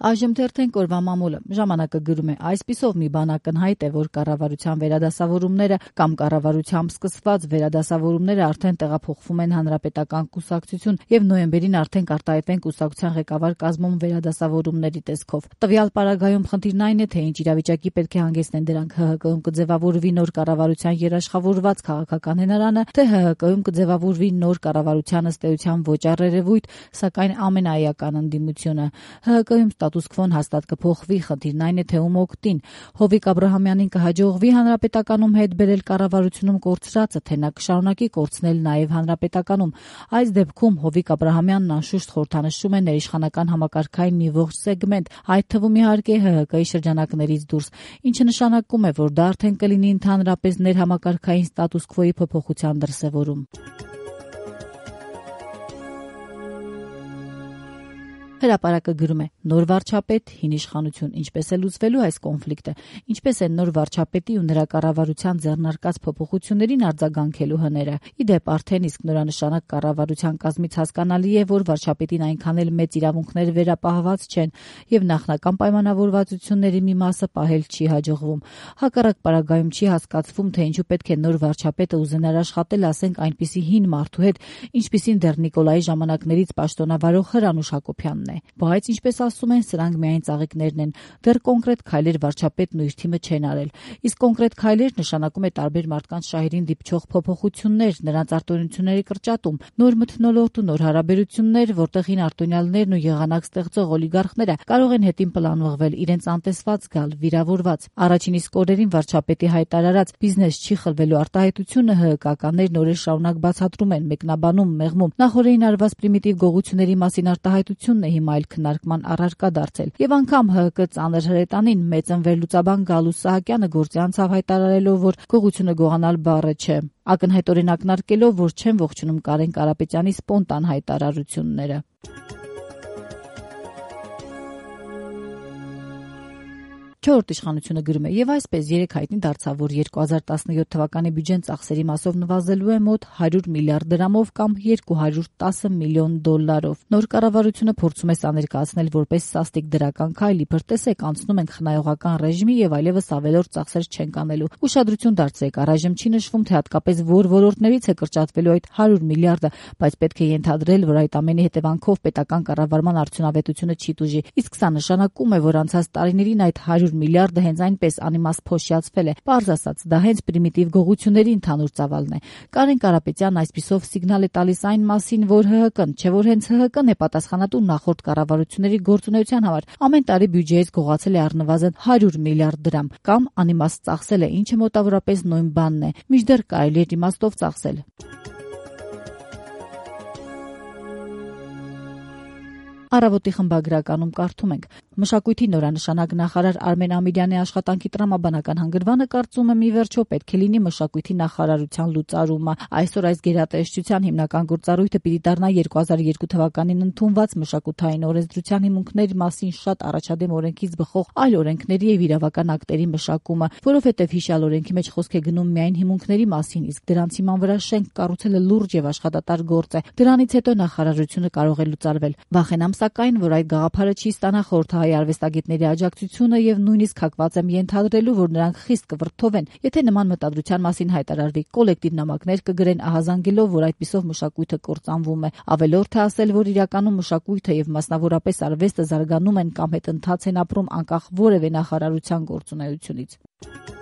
Այժմ թերթենք օրվա մամուլը։ Ժամանակը գրում է. այսպիսով մի բան ակնհայտ է, որ կառավարության վերադասավորումները կամ կառավարությամբ սկսված վերադասավորումները արդեն տեղափոխվում են հանրապետական կուսակցություն եւ նոյեմբերին արդեն կարտահայտվեն կուսակցության ղեկավար կազմում վերադասավորումների տեսքով։ Տվյալ պարագայում խնդիրն այն է, թե ինչ իրավիճակի պետք է հանգեցնեն դրանք ՀՀԿ-ում կձևավորվի նոր կառավարության երաշխավորված քաղաքական հենարանը, թե ՀՀԿ-ում կձևավորվի նոր կառավարության ըստ էության ոչ առերևույթ, սակայն ամենաէական ընդդիմությունը։ ՀՀԿ-ում ստատուս քվոն հաստատ կփոխվի, խնդիրն այն է, թե ում օգտին։ Հովիկ Աբրահամյանին կհաջողվի հանրապետականում հետ բերել կառավարությունում կորցրածը, թե նա կշարունակի կորցնել նաև հանրապետականում։ Այս դեպքում Հովիկ Աբրահամյանն անշուշտ խորհրդանշում է ներիշխանական համակարգային մի ողջ սեգմենտ, այդ թվում իհարկե ՀՀԿ-ի շրջանակներից դուրս, ինչը նշանակում է, որ դա արդեն կլինի ընդհանրապես ներհամակարգային ստատուս քվոյի փոփոխության դրսևորում։ Հրապարակը գրում է. նոր վարչապետ, հին իշխանություն, ինչպես է լուծվելու այս կոնֆլիկտը, ինչպես են նոր վարչապետի ու նրա կառավարության ձեռնարկած փոփոխություններին արձագանքելու հները։ Իդեպ արդեն իսկ նորանշանակ կառավարության կազմից հասկանալի է, որ վարչապետին այնքան էլ մեծ իրավունքներ վերապահված չեն եւ նախնական պայմանավորվածությունների մի մասը պահել չի հաջողվում։ Հակառակ պարագայում չի հասկացվում, թե ինչու պետք է նոր վարչապետը ուզենար աշխատել, ասենք, այնպիսի հին մարդու հետ, ինչպիսին դեռ Նիկոլայի ժամանակներից պաշտոնավարող Հրանուշ Հակոբյանն է։ Բայց, ինչպես ասում են, սրանք միայն ծաղիկներն են, դեռ կոնկրետ քայլեր վարչապետն ու իր թիմը չեն արել։ Իսկ կոնկրետ քայլեր նշանակում է տարբեր մարդկանց շահերին դիպչող փոփոխություններ, նրանց արտոնությունների կրճատում, նոր մթնոլորտ ու նոր հարաբերություններ, որտեղ հին արտոնյալներն ու եղանակ ստեղծող օլիգարխները կարող են հետին պլանվղվել, իրենց անտեսված գալ, վիրավորված։ Առաջին իսկ օրերին վարչապետի հայտարարած բիզնես չի խլվելու արտահայտությունը ՀՀԿ-ականներն օրեր շարունակ բացատրում են, մեկնաբանում, մեղմում։ Նախորդին արված պրիմիտիվ գողությունների մասին արտահայտությունն է հիմա այլ քննարկման առարկա դարձել։ Եվ անգամ ՀՀԿ ծանր հրետանին մեծ ընվերլուծաբան Գալուս Սահակյանը գործի անցավ հայտարարելով, որ գողությունը գողանալ բառը չէ, ակնհայտ օրինակնարկելով, որ չեն ողջունում Կարեն Կարապետյանի սպոնտան հայտարարությունները։ Չորրորդ իշխանությունը գրում է. եւ այսպես երեք հայտնի դարձավ, որ 2017 թվականի բյուջեն ծախսերի մասով նվազելու է մոտ 100 միլիարդ դրամով կամ 210 միլիոն դոլարով։ Նոր կառավարությունը փորձում է սա ներկայացնել որպես սաստիկ դրական քայլ, իբր տեսեք, անցնում ենք խնայողական ռեժիմի եւ այլևս ավելորդ ծախսեր չենք անելու։ Ուշադրություն դարձրեք, առայժմ չի նշվում, թե հատկապես որ ոլորտներից է կրճատվելու այդ 100 միլիարդը, բայց պետք է ենթադրել, որ այդ ամենի հետևանքով պետական կառավարման արդյունավետությունը չի տուժի։ Իսկ սա նշանակում է, որ անցած տարիներին այդ 100 միլիարդը հենց այնպես անիմաստ փոշիացվել է։ Պարզ ասած, դա հենց պրիմիտիվ գողությունների ընդհանուր ծավալն է։ Կարեն Կարապետյանն այսպիսով սիգնալ է տալիս այն մասին, որ ՀՀԿ-ն, չէ որ հենց ՀՀԿ-ն է պատասխանատու նախորդ կառավարությունների գործունեության համար, ամեն տարի բյուջեից գողացել է առնվազն 100 միլիարդ դրամ, կամ անիմաստ ծախսել է, ինչը մոտավորապես նույն բանն է, մինչդեռ կարելի է իմաստով ծախսել։ Առավոտի խմբագրականում կարդում ենք. մշակույթի նորանշանակ նախարար Արմեն Ամիրյանի աշխատանքի տրամաբանական հանգրվանը կարծում եմ ի վերջո պետք է լինի մշակույթի նախարարության լուծարումը։ Այսօր այս գերատեսչության հիմնական գործառույթը պիտի դառնա 2002 թվականին ընդունված մշակութային օրենսդրության հիմունքների մասին շատ առաջադեմ օրենքից բխող այլ օրենքների եւ իրավական ակտերի մշակումը, որովհետեւ հիշյալ օրենքի մեջ խոսք է գնում միայն հիմունքների մասին, իսկ դրանց հիման վրա շենք կառուցելը լուրջ եւ աշխատատար գործ է։ Դրանից հետո նախարարությունը կարող է լուծարվել։ Վախենամ սակայն, որ այդ գաղափարը չի ստանա խորհրդային արվեստագետների աջակցությունը եւ նույնիսկ հակված եմ ենթադրելու, որ նրանք խիստ կվրդովեն, եթե նման մտադրության մասին հայտարարվի, կոլեկտիվ նամակներ կգրեն ահազանգելով, որ այդպիսով մշակույթը կործանվում է։ Ավելորդ է ասել, որ իրականում մշակույթը եւ մասնավորապես արվեստը զարգանում են կամ հետ ընթաց են ապրում անկախ որևէ նախարարության գործունեությունից։